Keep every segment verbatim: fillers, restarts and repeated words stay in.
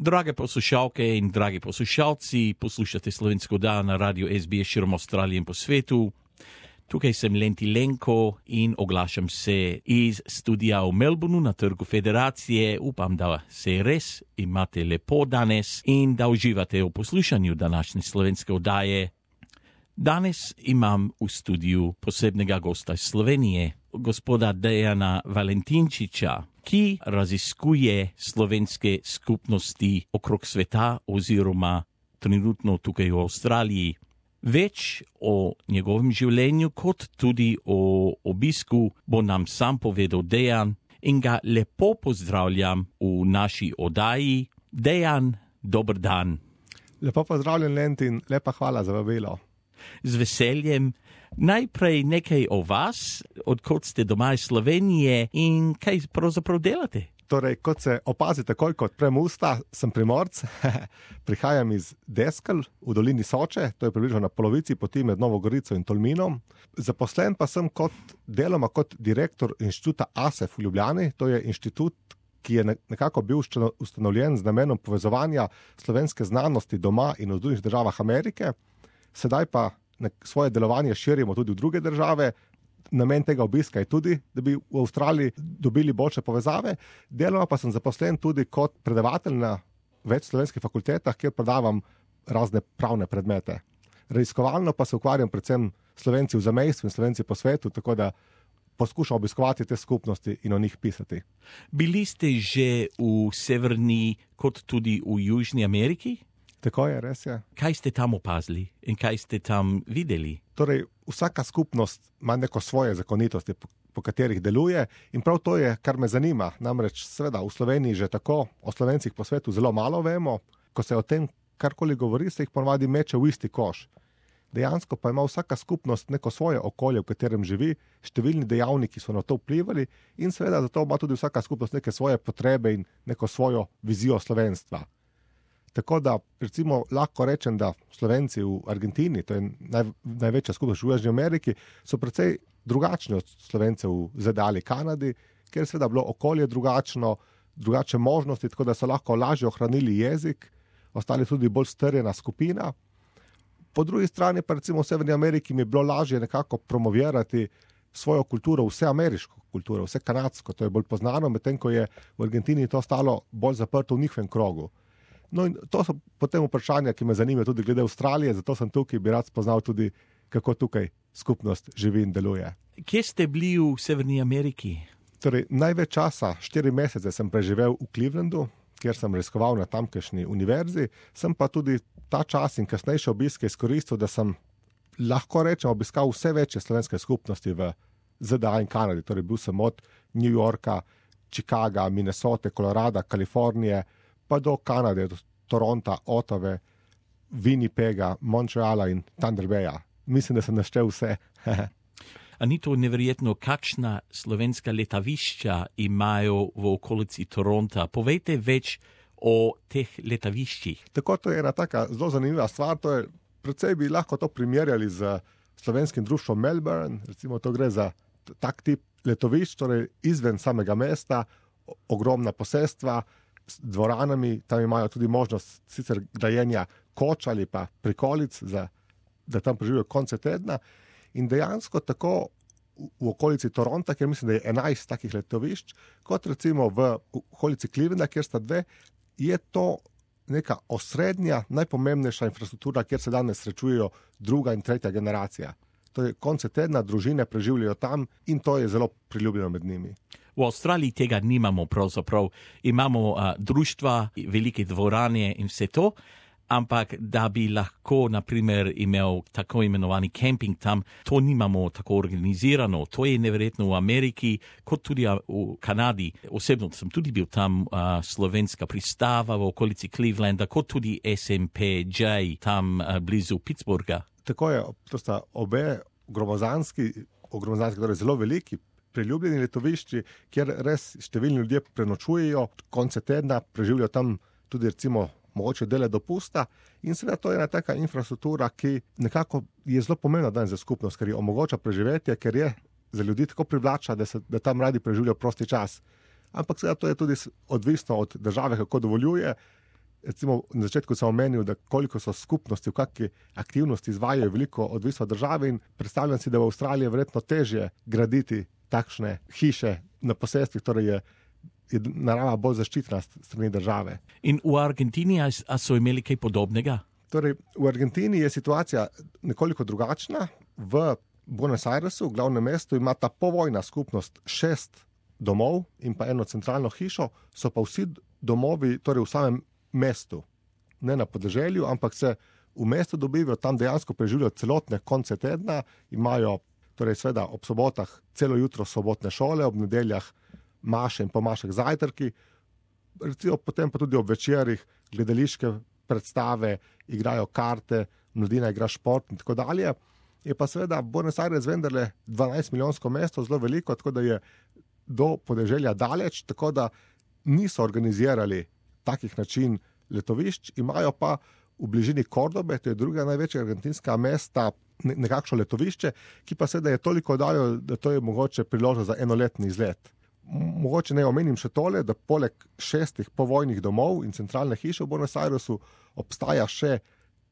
Drage poslušalke in dragi poslušalci, poslušate Slovensko oddajo na Radio S B S širom Avstralije in po svetu. Tukaj sem Lenti Lenko in oglašam se iz studija v Melbourneu na Trgu Federacije. Upam, da se res imate lepo danes in da uživate v poslušanju današnje slovenske oddaje. Danes imam v studiju posebnega gosta iz Slovenije, gospoda Dejana Valentinčiča, ki raziskuje slovenske skupnosti okrog sveta oziroma trenutno tukaj v Avstraliji. Več o njegovem življenju kot tudi o obisku bo nam sam povedal Dejan in ga lepo pozdravljam v naši oddaji. Dejan, dober dan. Lepo pozdravljen, Lentin, lepa hvala za vabilo. Z veseljem. Najprej nekaj o vas, odkot ste doma iz Slovenije in kaj pravzaprav delate? Torej, kot se opazi takoj, kot odprem usta, sem Primorc, prihajam iz Deskel v dolini Soče, to je približno na polovici poti med Novo Gorico in Tolminom. Zaposlen pa sem kot deloma kot direktor inštituta A S E F v Ljubljani, to je inštitut, ki je nekako bil ustanovljen z namenom povezovanja slovenske znanosti doma in v Združenih državah Amerike. Sedaj pa svoje delovanje širimo tudi v druge države. Namen tega obiska je tudi, da bi v Avstraliji dobili boljše povezave. Deloma pa sem zaposlen tudi kot predavatelj na več slovenskih fakultetah, kjer predavam razne pravne predmete. Raziskovalno pa se ukvarjam predvsem Slovenci v zamejstvu in Slovenci po svetu, tako da poskušam obiskovati te skupnosti in o njih pisati. Bili ste že v Severni kot tudi v Južni Ameriki? Tako je, res je. Kaj ste tam opazili in kaj ste tam videli? Torej, vsaka skupnost ima neko svoje zakonitosti, po, po katerih deluje in prav to je, kar me zanima. Namreč, seveda, v Sloveniji že tako o Slovencih po svetu zelo malo vemo. Ko se o tem karkoli govori, se jih ponavadi meče v isti koš. Dejansko pa ima vsaka skupnost neko svoje okolje, v katerem živi, številni dejavniki so na to vplivali in seveda zato ima tudi vsaka skupnost neke svoje potrebe in neko svojo vizijo slovenstva. Tako da, recimo, lahko rečem, da Slovenci v Argentini, to je naj, največja skupnost v Južni Ameriki, so precej drugačni od Slovencev v Z D A ali Kanadi, ker je seveda bilo okolje drugačno, drugačne možnosti, tako da so lahko lažje ohranili jezik, ostali tudi bolj strjena skupina. Po drugi strani pa recimo v Severni Ameriki mi je bilo lažje nekako promovirati svojo kulturo, vse ameriško kulturo, vse kanadsko, to je bolj poznano, medtem ko je v Argentini to stalo bolj zaprto v njihovem krogu. No in to so potem vprašanja, ki me zanimajo tudi glede Avstralije, zato sem tukaj, bi rad spoznal tudi, kako tukaj skupnost živi in deluje. Kje ste bili v Severni Ameriki? Torej, največ časa, štiri mesece sem preživel v Clevelandu, kjer sem raziskoval na tamkajšnji univerzi, sem pa tudi ta čas in kasnejše obiske izkoristil, da sem lahko rečem obiskal vse večje slovenske skupnosti v Z D A in Kanadi. Torej, bil sem od New Yorka, Chicaga, Minnesote, Colorada, Kalifornije, pa do Kanade, do Toronta, Ottave, Winnipega, Montreala in Thunder Baya. Mislim, da sem naštel vse. A ni to neverjetno, kakšna slovenska letavišča imajo v okolici Toronta? Povejte več o teh letaviščih. Tako, to je ena taka zelo zanimiva stvar. To je, predvsej bi lahko to primerjali z slovenskim društvom Melbourne. Recimo, to gre za tak tip letovišč, torej izven samega mesta, ogromna posestva, s dvoranami, tam imajo tudi možnost sicer grajenja koč ali pa prikolic, za, da tam preživijo konce tedna. In dejansko tako v, v okolici Toronta, kjer mislim, da je enajst takih letovišč, kot recimo v okolici Clevelanda, kjer sta dve, je to neka osrednja, najpomembnejša infrastruktura, kjer se danes srečujejo druga in tretja generacija. To je konce tedna, družine preživljajo tam in to je zelo priljubljeno med njimi. V Avstraliji tega nimamo pravzaprav. Imamo uh, društva, velike dvorane in vse to, ampak da bi lahko, na primer, imel tako imenovani camping tam, to nimamo tako organizirano. To je neverjetno v Ameriki, kot tudi v Kanadi. Osebno sem tudi bil tam, uh, slovenska pristava v okolici Clevelanda, kot tudi S M P J tam uh, blizu Pittsburgha. Tako je, to sta obe gromozanski, gromozanski, torej zelo veliki, priljubljeni letovišči, kjer res številni ljudje prenočujejo, konce tedna preživljajo tam tudi recimo mogoče dele dopusta in seveda to je ena taka infrastruktura, ki nekako je zelo pomembna danes za skupnost, ker je omogoča preživetje, ker je za ljudi tako privlača, da, se, da tam radi preživljajo prosti čas. Ampak seveda to je tudi odvisno od države, kako dovoljuje. recimo na začetku sem omenil, da koliko so skupnosti v kakšni aktivnosti izvajajo, veliko odvisno od države in predstavljam si, da v Avstraliji je verjetno težje graditi takšne hiše na posestvih, torej je, je narava bolj zaščitena strani države. In v Argentini a, a so imeli kaj podobnega? Torej, v Argentini je situacija nekoliko drugačna. V Buenos Airesu, v glavnem mestu, ima ta povojna skupnost šest domov in pa eno centralno hišo, so pa vsi domovi torej v samem mestu, ne na podeželju, ampak se v mestu dobivajo, tam dejansko preživljajo celotne konce tedna, imajo torej seveda ob sobotah celo jutro sobotne šole, ob nedeljah maše in pomašek zajtrki, recimo potem pa tudi ob večerih gledališke predstave, igrajo karte, mladina igra šport in tako dalje. Je pa seveda Buenos Aires vendarle dvanajst milijonsko mesto, zelo veliko, tako da je do podeželja daleč, tako da niso organizirali takih način letovišč, imajo pa v bližini Kordobe, to je druga največja argentinska mesta, nekakšno letovišče, ki pa seveda je toliko daljo, da to je mogoče priložnost za enoletni izlet. Mogoče ne omenim še tole, da poleg šestih povojnih domov in centralne hiše v Buenos Airesu obstaja še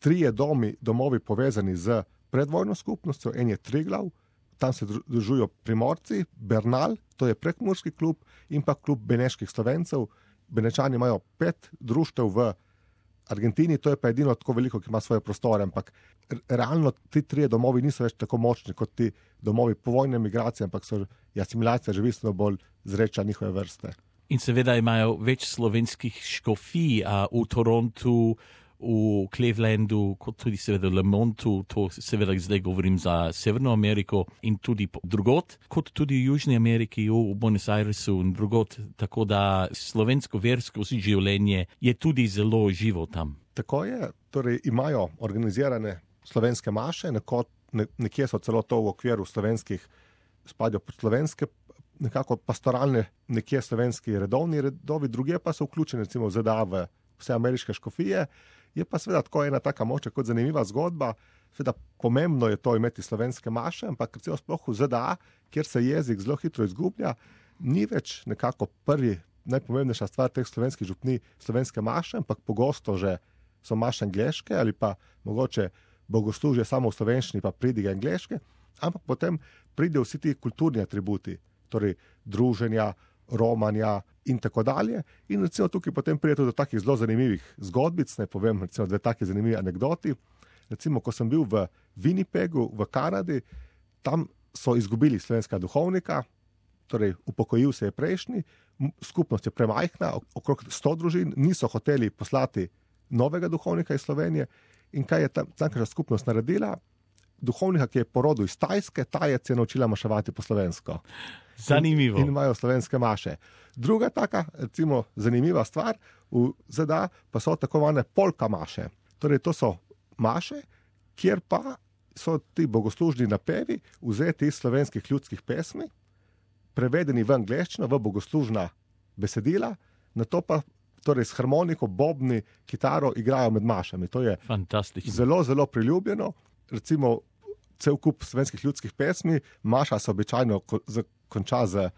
trije domi, domovi povezani z predvojno skupnostjo, en je Triglav, tam se družujo Primorci, Bernal, to je prekmurski klub, in pa klub beneških Slovencev. Benečani imajo pet društev v Argentini, to je pa edino tako veliko, ki ima svoje prostore, ampak realno ti trije domovi niso več tako močni kot ti domovi povojne migracije, ampak so asimilacija že bistveno bolj zreča njihove vrste. In seveda imajo več slovenskih škofij a v Torontu, v Clevelandu, kot tudi seveda v Lemontu, to seveda zdaj govorim za Severno Ameriko in tudi drugot, kot tudi v Južni Ameriki, v Buenos Airesu in drugot, tako da slovensko versko življenje je tudi zelo živo tam. Tako je, torej imajo organizirane slovenske maše, neko, ne, nekje so celo to v okviru slovenskih, spadajo pod slovenske, nekako pastoralne, nekje slovenski redovni redovi, druge pa so vključene recimo v Z D A v vse ameriške škofije. Je pa seveda tako ena taka moča kot zanimiva zgodba, seveda pomembno je to imeti slovenske maše, ampak recimo sploh v Z D A, kjer se jezik zelo hitro izgublja, ni več nekako prvi, najpomembnejša stvar teh slovenskih župni slovenske maše, ampak pogosto že so maše angleške ali pa mogoče bogoslužje samo v slovenščini pa pridige angleške, ampak potem pridejo vsi ti kulturni atributi, torej druženja, romanja in tako dalje. In recimo tukaj potem pride tudi do takih zelo zanimivih zgodbic, ne povem recimo dve taki zanimivi anekdoti. Recimo, ko sem bil v Winnipegu v Kanadi, tam so izgubili slovenskega duhovnika, torej upokojil se je prejšnji, skupnost je premajhna, okrog sto družin, niso hoteli poslati novega duhovnika iz Slovenije. In kaj je tamkajšnja skupnost naredila? Duhovnika, ki je porodil iz Tajske, Tajec je naučila maševati po slovensko. Zanimivo. In, in imajo slovenske maše. Druga taka, recimo, zanimiva stvar v Z D A pa so tako imenovane polka maše. Torej, to so maše, kjer pa so ti bogoslužni napevi vzeti iz slovenskih ljudskih pesmi, prevedeni v angleščino, v bogoslužna besedila, na to pa torej s harmoniko, bobni, kitaro igrajo med mašami. To je fantastično. Zelo, zelo priljubljeno. Recimo, cel kup slovenskih ljudskih pesmi, maša se običajno konča z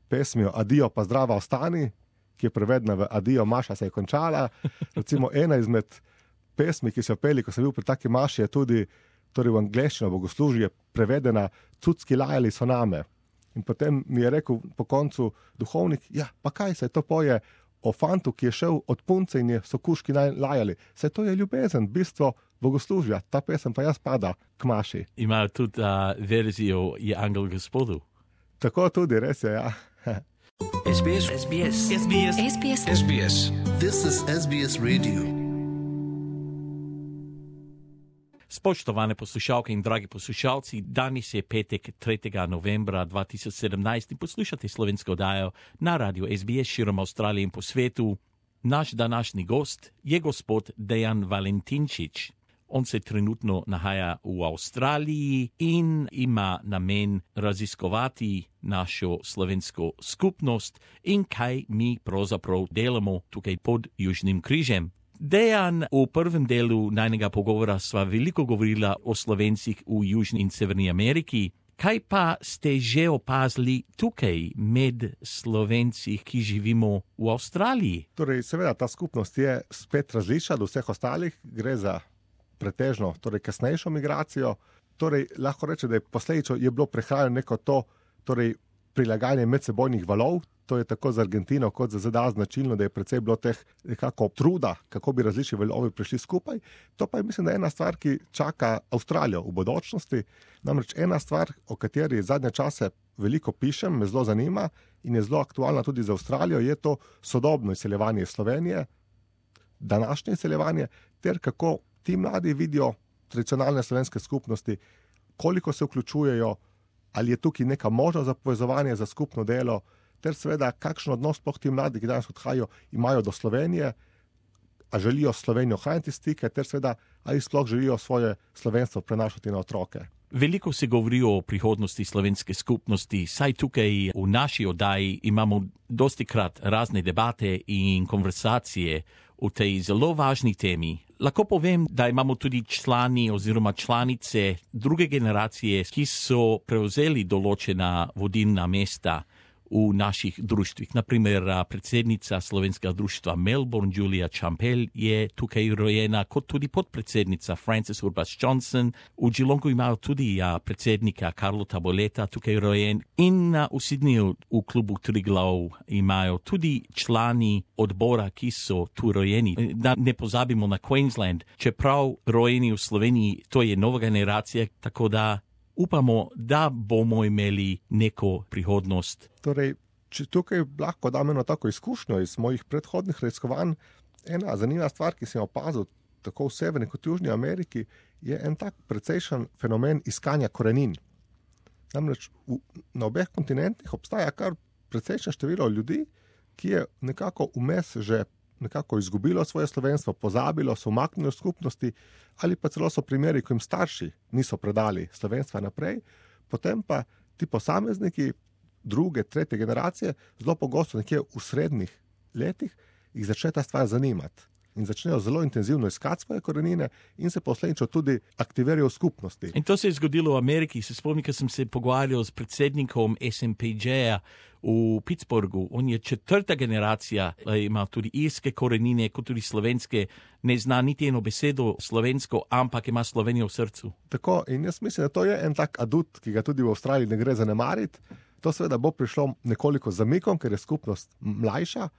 pesmijo Adijo pa zdrava ostani, ki je prevedena v Adijo, maša se je končala. Recimo, ena izmed pesmi, ki so jo peli, ko sem bil pri taki maši, je tudi torej v angleščino bogoslužje prevedena Cucki lajali so name. In potem mi je rekel po koncu duhovnik, ja, pa kaj se to poje o fantu, ki je šel od punce in je so kuški lajali. Se to je ljubezen, bistvo bogoslužja. Ta pesem pa jaz pada k maši. Imajo tudi uh, verzijo Je angel gospodu. Tako tudi, res je, ja. S B S. S B S. S B S. S B S. S B S. This is S B S Radio. Spoštovane poslušalke in dragi poslušalci, danes je petek tretjega novembra dva tisoč sedemnajst in poslušate slovensko oddajo na radiju S B S širom Avstralije in po svetu. Naš današnji gost je gospod Dejan Valentinčič. On se trenutno nahaja v Avstraliji in ima namen raziskovati našo slovensko skupnost in kaj mi pravzaprav delamo tukaj pod Južnim križem. Dejan, v prvem delu najnega pogovora sva veliko govorila o Slovencih v Južni in Severni Ameriki, Kaj pa ste že opazili tukaj med Slovenci, ki živimo v Avstraliji? Torej, seveda, ta skupnost je spet različna od vseh ostalih, gre za pretežno, torej kasnejšo migracijo. Torej, lahko reče, da je posledično je bilo prehajanje neko to, torej prilagajanje medsebojnih valov. To je tako za Argentino kot za Z D A značilno, da je precej bilo teh nekako truda, kako bi različni valovi prišli skupaj. To pa je, mislim, da je ena stvar, ki čaka Avstralijo v bodočnosti. Namreč ena stvar, o kateri zadnje čase veliko pišem, me zelo zanima in je zelo aktualna tudi za Avstralijo, je to sodobno izseljevanje iz Slovenije, današnje izseljevanje, ter kako ti mladi vidijo tradicionalne slovenske skupnosti, koliko se vključujejo, ali je tukaj neka možnost za povezovanje, za skupno delo, ter seveda, kakšen odnos sploh ti mladi, ki danes odhajajo, imajo do Slovenije, a želijo Slovenijo ohraniti stike, ter seveda, ali sploh želijo svoje slovenstvo prenašati na otroke. Veliko se govori o prihodnosti slovenske skupnosti, saj tukaj v naši oddaji imamo dostikrat razne debate in konversacije o tej zelo važni temi. Lahko povem, da imamo tudi člani oziroma članice druge generacije, ki so prevzeli določena vodilna mesta v naših društvih. Naprimer, predsednica slovenskega društva Melbourne, Julia Champel, je tukaj rojena, kot tudi podpredsednica Frances Urbas Johnson. V Geelongu imajo tudi a, predsednika Carlota Boleta tukaj rojen. In a, v Sydneyju v klubu Triglav imajo tudi člani odbora, ki so tu rojeni. Da ne pozabimo na Queensland, čeprav rojeni v Sloveniji, to je nova generacija, tako da upamo, da bomo imeli neko prihodnost. Torej, če tukaj lahko dam eno tako izkušnjo iz mojih predhodnih raziskovanj, ena zanimiva stvar, ki sem jo opazil tako v Severni kot Južni Ameriki, je en tak precejšen fenomen iskanja korenin. Namreč v, na obeh kontinentih obstaja kar precejšno število ljudi, ki je nekako vmes že nekako izgubilo svoje slovenstvo, pozabilo, so umaknili v skupnosti, ali pa celo so primeri, ko jim starši niso predali slovenstva naprej, potem pa ti posamezniki druge, tretje generacije, zelo pogosto nekje v srednjih letih, jih začne ta stvar zanimati in začnejo zelo intenzivno iskati svoje korenine in se posledično tudi aktivirajo v skupnosti. In to se je zgodilo v Ameriki. Se spomnim, ko sem se pogovarjal s predsednikom S M P J-ja v Pittsburghu. On je četrta generacija, ima tudi irske korenine, kot tudi slovenske, ne zna niti eno besedo slovensko, ampak ima Slovenijo v srcu. Tako, in jaz mislim, da to je en tak adut, ki ga tudi v Avstraliji ne gre zanemariti. To seveda bo prišlo nekoliko zamikom, ker je skupnost mlajša,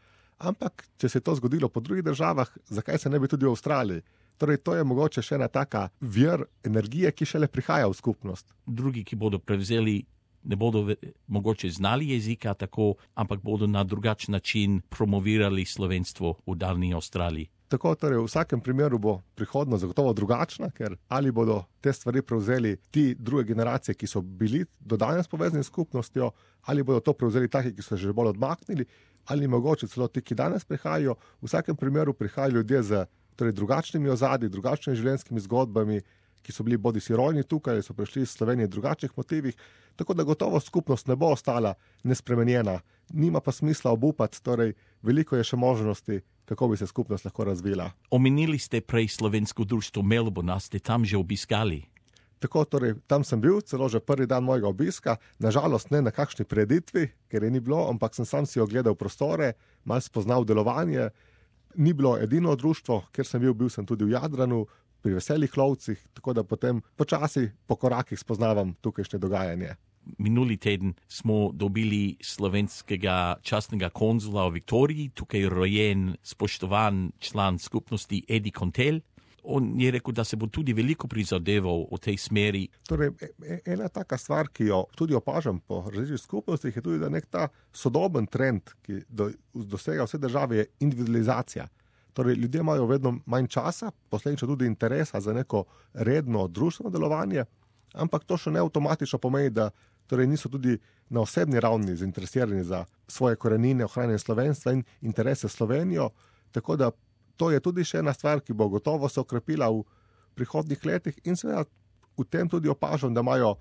ampak če se je to zgodilo po drugih državah, zakaj se ne bi tudi v Avstraliji? Torej, to je mogoče še ena taka vir energije, ki šele prihaja v skupnost. Drugi, ki bodo prevzeli, ne bodo mogoče znali jezika tako, ampak bodo na drugačen način promovirali slovenstvo v daljni Avstraliji. Tako, torej v vsakem primeru bo prihodnost zagotovo drugačna, ker ali bodo te stvari prevzeli ti druge generacije, ki so bili do danes povezani s skupnostjo, ali bodo to prevzeli taki, ki so že bolj odmaknili, ali mogoče celo ti, ki danes prihajajo. V vsakem primeru prihajajo ljudje z torej, drugačnimi ozadji, drugačnimi življenjskimi zgodbami, ki so bili bodisi rojeni tukaj, ali so prišli iz Slovenije v drugačnih motivih, tako da gotovo skupnost ne bo ostala nespremenjena. Nima pa smisla obupati, torej veliko je še možnosti, kako bi se skupnost lahko razvila. Omenili ste prej slovensko društvo Melbourne, ste tam že obiskali? Tako, torej, tam sem bil, celo že prvi dan mojega obiska, nažalost ne na kakšni preditvi, ker je ni bilo, ampak sem sam si ogledal prostore, malo spoznal delovanje. Ni bilo edino društvo, kjer sem bil, bil sem tudi v Jadranu, pri veselih lovcih, tako da potem počasi po korakih spoznavam tukajšnje dogajanje. Minuli teden smo dobili slovenskega častnega konzula v Viktoriji, tukaj rojen spoštovan član skupnosti Edi Kontel. On je rekel, da se bo tudi veliko prizadeval v tej smeri. Torej, ena taka stvar, ki jo tudi opažam po različnih skupnostih, je tudi, da nek ta sodoben trend, ki do, dosega vse države, je individualizacija. Torej, ljudje imajo vedno manj časa, posledično tudi interesa za neko redno družbeno delovanje, ampak to še ne avtomatično pomeni, da torej niso tudi na osebni ravni zainteresirani za svoje korenine, ohranjanje slovenstva in interese Slovenijo, tako da to je tudi še ena stvar, ki bo gotovo se okrepila v prihodnjih letih in seveda v tem tudi opažam, da imajo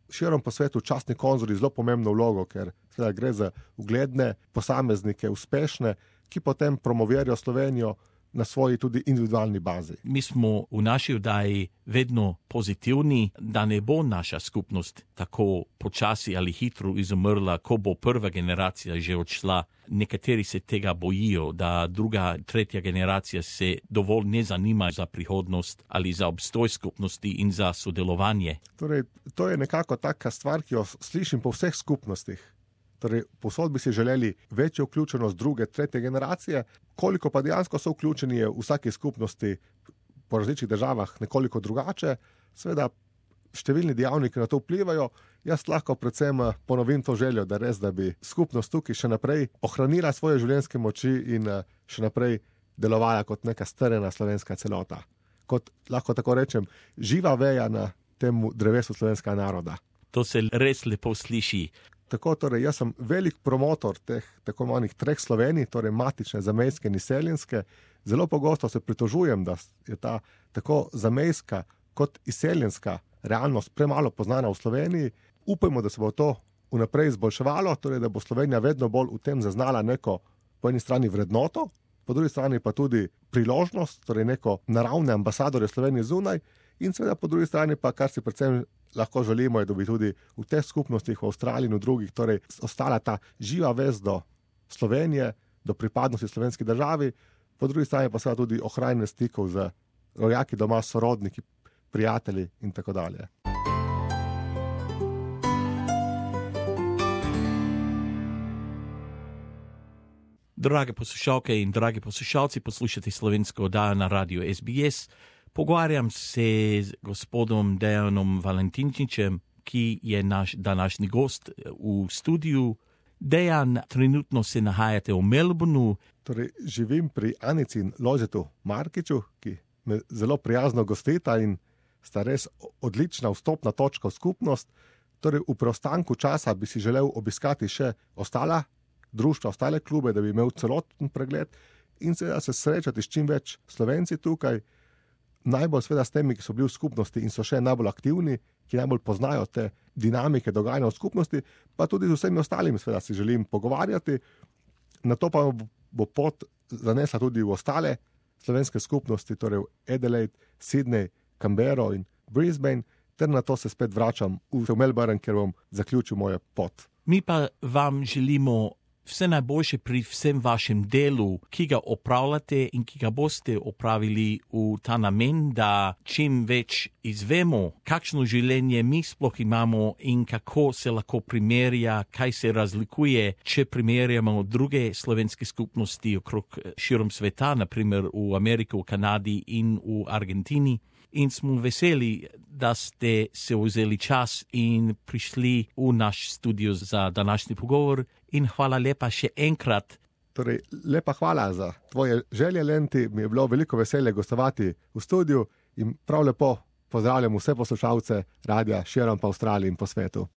širom po svetu častni konzuli zelo pomembno vlogo, ker seveda gre za ugledne posameznike, uspešne, ki potem promovirajo Slovenijo na svoji tudi individualni bazi. Mi smo v naši oddaji vedno pozitivni, da ne bo naša skupnost tako počasi ali hitro izumrla, ko bo prva generacija že odšla. Nekateri se tega bojijo, da druga, tretja generacija se dovolj ne zanima za prihodnost ali za obstoj skupnosti in za sodelovanje. Torej, to je nekako taka stvar, ki jo slišim po vseh skupnostih. Torej, povsod bi si želeli večjo vključenost druge, tretje generacije, koliko pa dejansko so vključeni v vsaki skupnosti po različnih državah nekoliko drugače. Seveda, številni dejavniki na to vplivajo. Jaz lahko predvsem ponovim to željo, da res, da bi skupnost tukaj še naprej ohranila svoje življenjske moči in še naprej delovala kot neka strjena slovenska celota. Kot, lahko tako rečem, živa veja na tem drevesu slovenskega naroda. To se res lepo sliši. Tako, torej, jaz sem velik promotor teh tako imenovanih treh Slovenij, torej matične, zamejske in izseljenske. Zelo pogosto se pritožujem, da je ta tako zamejska kot izseljenska realnost premalo poznana v Sloveniji. Upajmo, da se bo to vnaprej izboljševalo, torej da bo Slovenija vedno bolj v tem zaznala neko po eni strani vrednoto, po drugi strani pa tudi priložnost, torej neko naravne ambasadorje Slovenije zunaj in seveda po drugi strani pa, kar si predvsem lahko želimo, je, da bi tudi v teh skupnostih v Avstraliji in v drugih torej ostala ta živa vez do Slovenije, do pripadnosti slovenski državi, po drugi strani pa seveda tudi ohranjanje stikov z rojaki doma, sorodniki, prijatelji in tako dalje. Drage poslušalke in dragi poslušalci, poslušate slovensko oddajo na radiju S B S. Pogovarjam se z gospodom Dejanom Valentinčičem, ki je naš današnji gost v studiu. Dejan, trenutno se nahajate v Melbourneu. Torej, živim pri Anici in Lojzetu Markiču, ki me zelo prijazno gostita in sta res odlična vstopna točka v skupnost. Torej, v preostanku časa bi si želel obiskati še ostala društva, ostale klube, da bi imel celoten pregled in seveda se srečati s čim več Slovenci tukaj, najbolj seveda s temi, ki so bili v skupnosti in so še najbolj aktivni, ki najbolj poznajo te dinamike dogajanja v skupnosti, pa tudi z vsemi ostalimi seveda si želim pogovarjati. Na to pa bo pot zanesla tudi v ostale slovenske skupnosti, torej v Adelaide, Sydney, Canberra in Brisbane, ter na to se spet vračam v Melbourne, ker bom zaključil mojo pot. Mi pa vam želimo vse najboljše pri vsem vašem delu, ki ga opravljate in ki ga boste opravili v ta namen, da čim več izvemo, kakšno življenje mi sploh imamo in kako se lahko primerja, kaj se razlikuje, če primerjamo druge slovenske skupnosti okrog širom sveta, naprimer v Ameriki, v Kanadi in v Argentini. In smo veseli, da ste se vzeli čas in prišli v naš studio za današnji pogovor. In hvala lepa še enkrat. Torej, lepa hvala za tvoje želje, Lenti. Mi je bilo veliko veselje gostovati v studiu in prav lepo pozdravljam vse poslušalce radia širom po Avstraliji in po svetu.